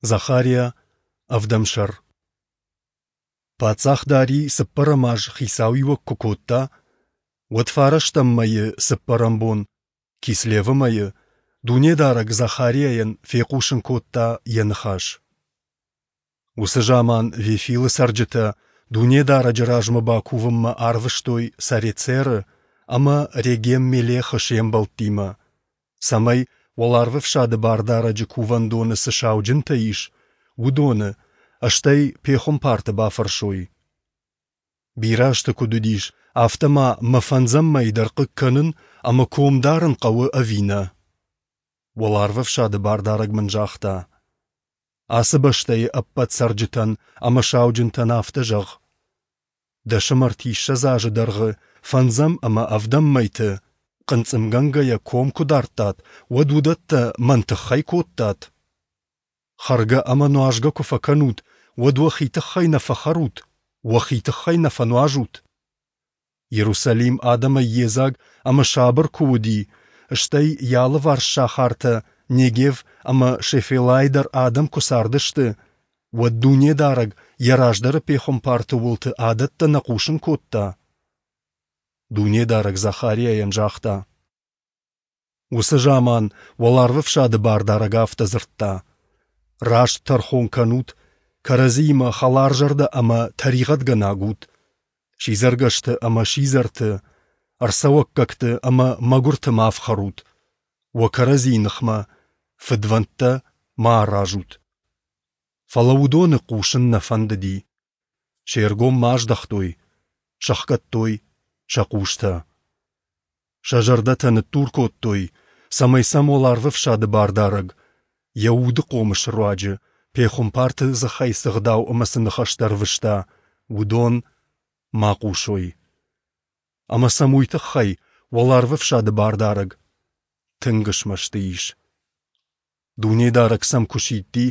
Захариа, ӕвдӕм сӕр. Паддзах Дарий цыппӕрӕм аз хицауиуӕг куы кодта, уӕд фарӕстӕм мӕйы цыппӕрӕм бон, Кислевы мӕйы, Дунедарӕг Захариайӕн фехъусын кодта йӕ ныхас. Уыцы заман Вефилы цӕрджытӕ Дунедарӕджы размӕ бакувынмӕ арвыстой Сарецеры ӕмӕ Регем-Мелехы се мбӕлттимӕ, цӕмӕй Уӕларвӕфсады Бардарӕджы кувӕндоны цы сауджынтӕ ис, уыдоны, стӕй пехуымпарты бафӕрсой. Бирӕ азты куыд уыдис, афтӕ ма мӕ фӕндзӕм мӕй дӕр хъыг кӕнын ӕмӕ ком дарын хъӕуы ӕви нӕ? Уӕларвӕфсады Бардарӕг мын загъта: Ацы бӕстӕйы ӕппӕт цӕрджытӕн ӕмӕ сауджынтӕн афтӕ зӕгъ: Дӕсӕм азы дӕргъы фӕндзӕм ӕмӕ ӕвдӕм мӕйты хъынцъымгӕнгӕйӕ ком куы дардтат, уӕд уыдӕттӕ мӕн тыххӕй кодтат? Хӕргӕ ӕмӕ нуазгӕ куы фӕкӕнут, уӕд уӕхи тыххӕй нӕ фӕхӕрут, уӕхи тыххӕй нӕ фӕнуазут? Иерусалим адӕмӕй йедзаг ӕмӕ сабыр куы уыди, стӕй йӕ алыварс сахартӕ Негев ӕмӕ Шефелайы дӕр адӕм куы цардысты, уӕд Дунедарӕг йӕ раздӕры пехуымпарты уылты адӕттӕ нӕ хъусын кодта? Дунедарӕг Захариайӕн загъта: Уыцы заман Уӕларвӕфсады Бардарӕг афтӕ дзырдта: Раст тӕрхон кӕнут, кӕрӕдзиимӕ хӕларзӕрдӕ ӕмӕ тӕригъӕдгӕнаг ут, сидзӕргӕсты ӕмӕ сидзӕрты, ӕрцӕуӕггӕгты ӕмӕ мӕгуырты ма ӕфхӕрут, уӕ кӕрӕдзийы ныхмӕ фыдвӕндтӕ ма аразут. Фӕлӕ уыдоны хъусын нӕ фӕндыди. Се ргом ма аздӕхтой, сӕхгӕдтой сӕ хъустӕ. Сӕ зӕрдӕтӕ ныддур кодтой, цӕмӕй сӕм Уӕларвӕфсады Бардарӕг йӕ уды хъомысы руаджы пехуымпарты дзыхӕй цы гъдау ӕмӕ цы ныхӕстӕ ӕрвыста, уыдон ма хъусой. Ӕмӕ сӕм уый тыххӕй Уӕларвӕфсады Бардарӕг тынг смӕсты ис. Дунедарӕг сӕм куы сидти,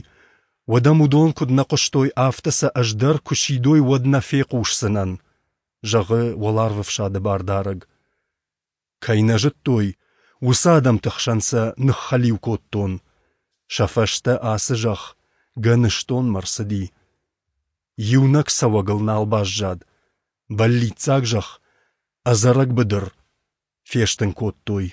уӕд ӕм уыдон куыд нӕ хъуыстой, афтӕ сӕ ӕз дӕр куы сидой, уӕд нӕ фехъусдзынӕн, зӕгъы Уӕларвӕфсады Бардарӕг. Кӕй нӕ зыдтой, уыцы адӕмты хсӕн сӕ ныххӕлиу кодтон. Сӕ фӕстӕ ацы зӕхх гӕныстонмӕ рцыди. Иунӕг цӕуӕгыл нал баззад. Бӕллиццаг зӕхх, ӕдзӕрӕг быдыр фестын кодтой.